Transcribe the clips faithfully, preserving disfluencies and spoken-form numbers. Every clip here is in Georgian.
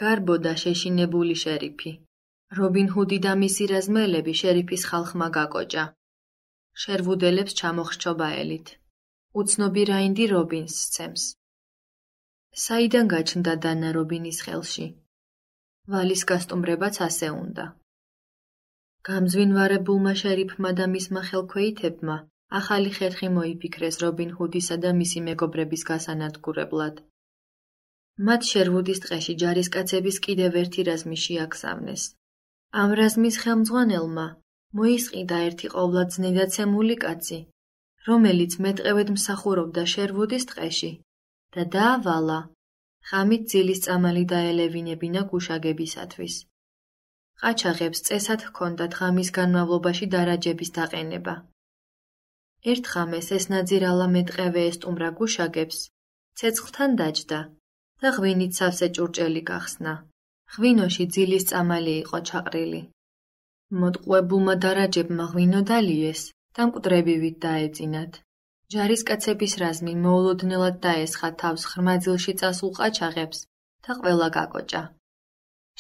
გარბოდა შეშინებული შერიფი. რობინ ჰუდი და მისი რაზმელები შერიფის ხალხმა გაკოჭა. შერვუდელებს ჩამოხრჩობა ელით. უცნობი რაინდი რობინს სცემს. საიდან გაჩნდა დანა რობინის ხელში? ვალის გასტუმრებაც ასე უნდა. გამძვინვარებულმა შერიფმა და მისმა ხელქვეითებმა ახალი ხერხი მოიფიქრეს რობინ ჰუდისა და მისი მეგობრების გასანადგურებლად. მათ შერვუდის ტყეში ჯარისკაცების კიდევ ერთი რაზმი შეაგზავნეს. ამ რაზმის ხელმძღვანელმა მოისყიდა ერთი ყოვლადწნედაცემული კაცი, რომელიც მეტყევედ მსახურობდა შერვუდის ტყეში და დაავალა ღამით ძილის წამალი დაელევინებინა გუშაგებისათვის. ყაჩაღებს წესად ჰქონდათ ღამის განმავლობაში დარაჯების დაყენება. ერთ ღამეს ეს ნაძირალა მეტყევე ესტუმრა გუშაგებს, ცეცხლთან დაჯდა და ღვინით სავსე ჭურჭელი გახსნა. ღვინოში ძილის წამალი იყო ჩაყრილი. მოტყუებულმა დარაჯებმა ღვინო დალიეს და მკვდრებივით დაეწინათ. ჯარისკაცების რაზმი მოულოდნელად დაესხა თავს ხრმაძილში წასულ ყაჩაღებს და ყველა გაკოჭა.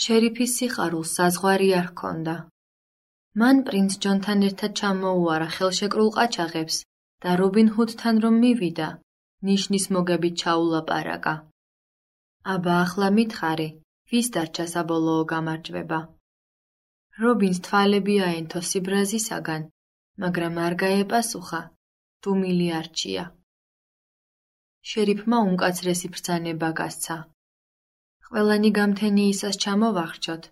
შერიფის სიხარულს საზღვარი არ ჰქონდა. მან პრინც ჯონთან ერთად ჩამოუარა ხელშეკრულ ყაჩაღებს და რობინ ჰუდთან რომ მივიდა, ნიშნის მოგებით ჩაულაპარაკა. აბა ახლა მითხარი, ვის დარჩა საბოლოო გამარჯვება? რობინს თვალები აენთო სიბრაზისაგან, მაგრამ არ გაეპასუხა, დუმილი არჩია. შერიფმა უმკაცრესი ბრძანება გასცა. ყველანი გამთენიისას ჩამოვახრჩოთ,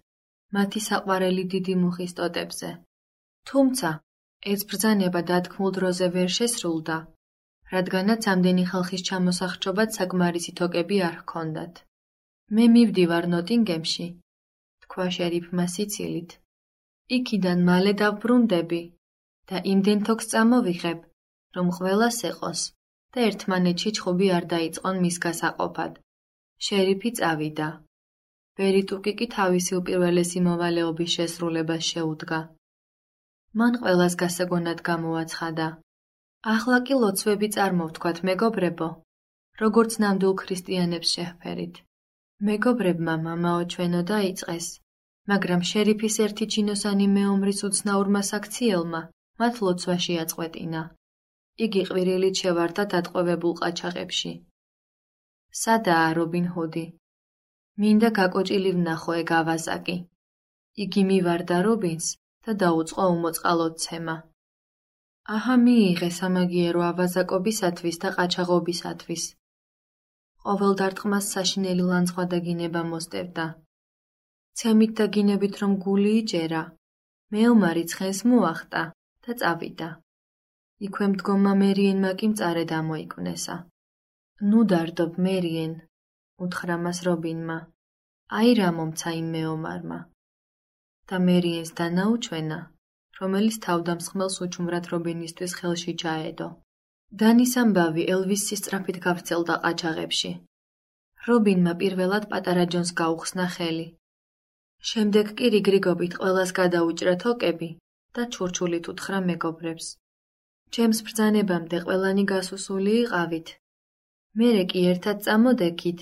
მათი საყვარელი დიდი მუხის ტოტებზე. თუმცა, ეს ბრძანება დათქმულ დროზე ვერ შესრულდა, რადგანაც ამდენი ხალხის ჩამოსახრჩობად საკმარისი თოკები არ ჰქონდათ. მე მივდივარ ნოტინგემში, თქვა შერიფმა სიცილით. იქიდან მალე დავბრუნდები და იმდენ თოკს წამოვიღებ, რომ ყველას ეყოს და ერთმანეთში ჩხუბი არ დაიწყონ მის გასაყოფად. შერიფი წავიდა. ბერიტუკი კი თავისი უპირველესი მოვალეობის შესრულებას შეუდგა. მან ყველას გასაგონად გამოაცხადა. ახლა კი ლოცვები წარმოვთქვათ, მეგობრებო, როგორც ნამდვილ ქრისტიანებს შეჰფერით. მეგობრებმა მამაო ჩვენო დაიწყეს, მაგრამ შერიფის ერთი ჩინოსანი მეომრის უცნაურმა საქციელმა მათ ლოცვაში აწყვეტინა. იგი ყვირილით შევარდა დატყვევებულ ყაჩაღებში. სადაა რობინ ჰუდი? მინდა გაკოჭილი ვნახო ეგ ავაზაკი. იგი მივარდა რობინს და დაუწყო უმოწყალოდ-ცემა. აჰა მიიღე სამაგიერო ავაზაკობისათვის და ყაჩაღობისათვის. ყოველ დარტყმას საშინელი ლანძღვა და გინება მოსდევდა. ცემით და გინებით რომ გული იჭერა, მეომარი ცხენს მოახტა და წავიდა. იქვე მდგომა მერიენმა კი მწარე დამოიკვნესა. ნუ დარდობ მერიენ, უთხრა მას რობინმა. აი რა მომცა იმ მეომარმა. და მერიენს დანაუჩვენა, რომელიც თავდამსხმელს უჩუმრად რობინისთვის ხელში ჩაედო. დანის ამბავი ელვისის სწრაფით გავრცელდა ყაჩაღებში. რობინმა პირველად პატარა ჯონს გაუხსნა ხელი. შემდეგ კი რიგრიგობით ყველას გადაუჭრა თოკები და ჩურჩულით უთხრა მეგობრებს. ჩემს ბრძანებამდე ყველანი გასუსული იყავით. მერე კი ერთად წამოდექით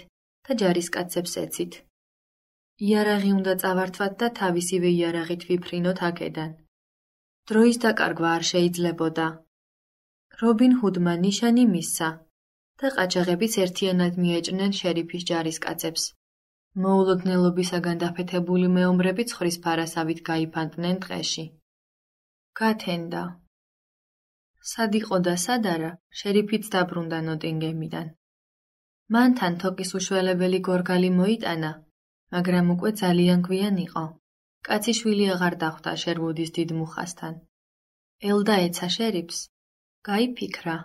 და ჯარისკაცებს ეცით. იარაღი უნდა წავართვათ და თავისივე იარაღით ვიფრინოთ აქედან. დროის დაკარგვა არ შეიძლებოდა. რობინ ჰუდმა ნიშანი მისცა და ყაჩაღებიც ერთიანად მიეჭნენ შერიფის ჯარისკაცებს. მოულოდნელობისაგან დაფეთებული მეომრები ცხრის ფარასავით გაიფანტნენ ტყეში. გათენდა. სად იყო და სად არა, შერიფიც დაბრუნდა ნოტინგემიდან. მანთან თოკის უშველებელი გორგალი მოიტანა, მაგრამ უკვე ძალიან გვიან იყო. კაცი შვილი აღარ დახვდა შერვუდის დიდ მუხასთან. ელდა ეცა შერიფს. გაიფიქრა.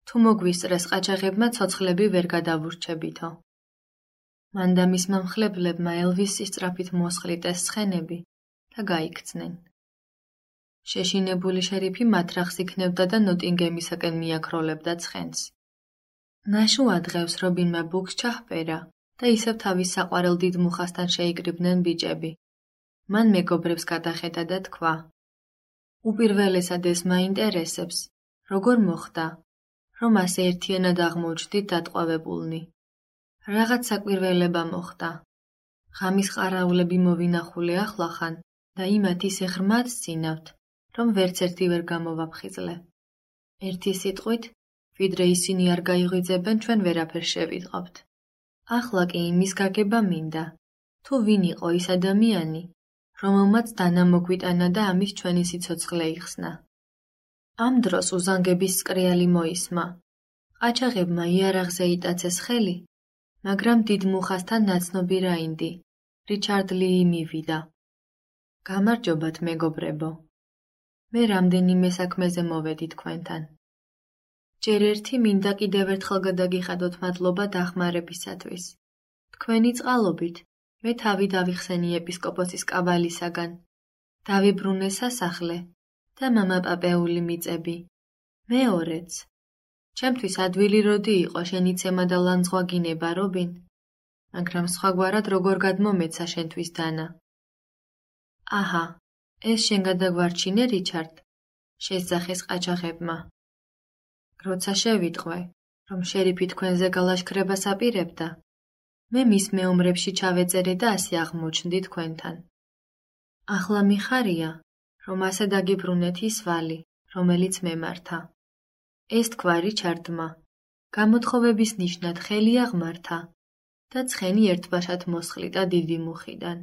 თუ მოგვისწრეს ყაჩაღებმა ცოცხლები ვერ გადავურჩებითო. მან და მისმა მხლებლებმა ელვისის სწრაფით მოსხლიტეს ცხენები და გაიქცნენ. შეშინებული შერიფი მათრახს იქნებდა და ნოტინგემისაკენ მიაქროლებდა ცხენს. ნაშუა დღევს რობინმა ბუქს ჩაჰპერა და ისევ თავის საყვარელ დიდ მუხასთან შეიკრიბნენ ბიჭები. მან მეგობრებს გადახედა და თქვა. უპირველესად ეს მაინტერესებს, როგორ მოხდა, რომ ასე ერთიანად აღმოჩნდით დატყვევებულნი. რაღაც საკვირველება მოხდა. ღამის ყარაულები მოვინახულე ახლახან და იმათ ისე ღრმად სცინავთ, რომ ვერც ერთი ვერ გამოვაფხიზლე. ერთი სიტყვით, ვიდრე ისინი არ გაიღვიძებენ, ჩვენ ვერაფერ შევიტყავთ. ახლა კი იმის გაგება მინდა, თუ ვინ იყო ის ადამიანი, რომელმაც დანა მოგვიტანა და ამის ჩვენი სიცოცხლე იხსნა. ამ დროს უზანგების სკრიალი მოისმა. ყაჩაღებმა იარაღზე იტაცეს ხელი, მაგრამ დიდ მუხასთან ნაცნობი რაინდი, რიჩარდ ლი მივიდა. გამარჯობათ, მეგობრებო. მე რამდენიმე საქმეზე მოვედი თქვენთან. ჯერ ერთი მინდა კიდევ ერთხელ გადაგიხადოთ მადლობა დახმარებისათვის. თქვენი წყალობით მე თავი დავიხსენი ეპისკოპოსის კავალისაგან, დავიბრუნე სასახლე და მამა პაპეული მიწები. მეორეც, ჩემთვის ადვილი როდი იყო შენიცემა და ლანძღვა გინება, რობინ, მაგრამ სხვაგვარად როგორ გადმომეცა შენთვის დანა. აჰა, ეს შენ გადაგვარჩინე, რიჩარდ, შესძახეს ყაჩაღებმა. როცა შევიტყვე, რომ შერიფი თქვენზე გალაშქრებას აპირებდა, მე მის მეომრებში ჩავეწერე და ასე აღმოჩნდი თქვენთან. ახლა მიხარია, რომ ასე დაგიბრუნეთ ის ვალი, რომელიც მემართა. ეს თქვა რიჩარდმა, გამოთხოვების ნიშნად ხელი აღმართა და ცხენი ერთბაშად მოსხლიტა დიდი მუხიდან.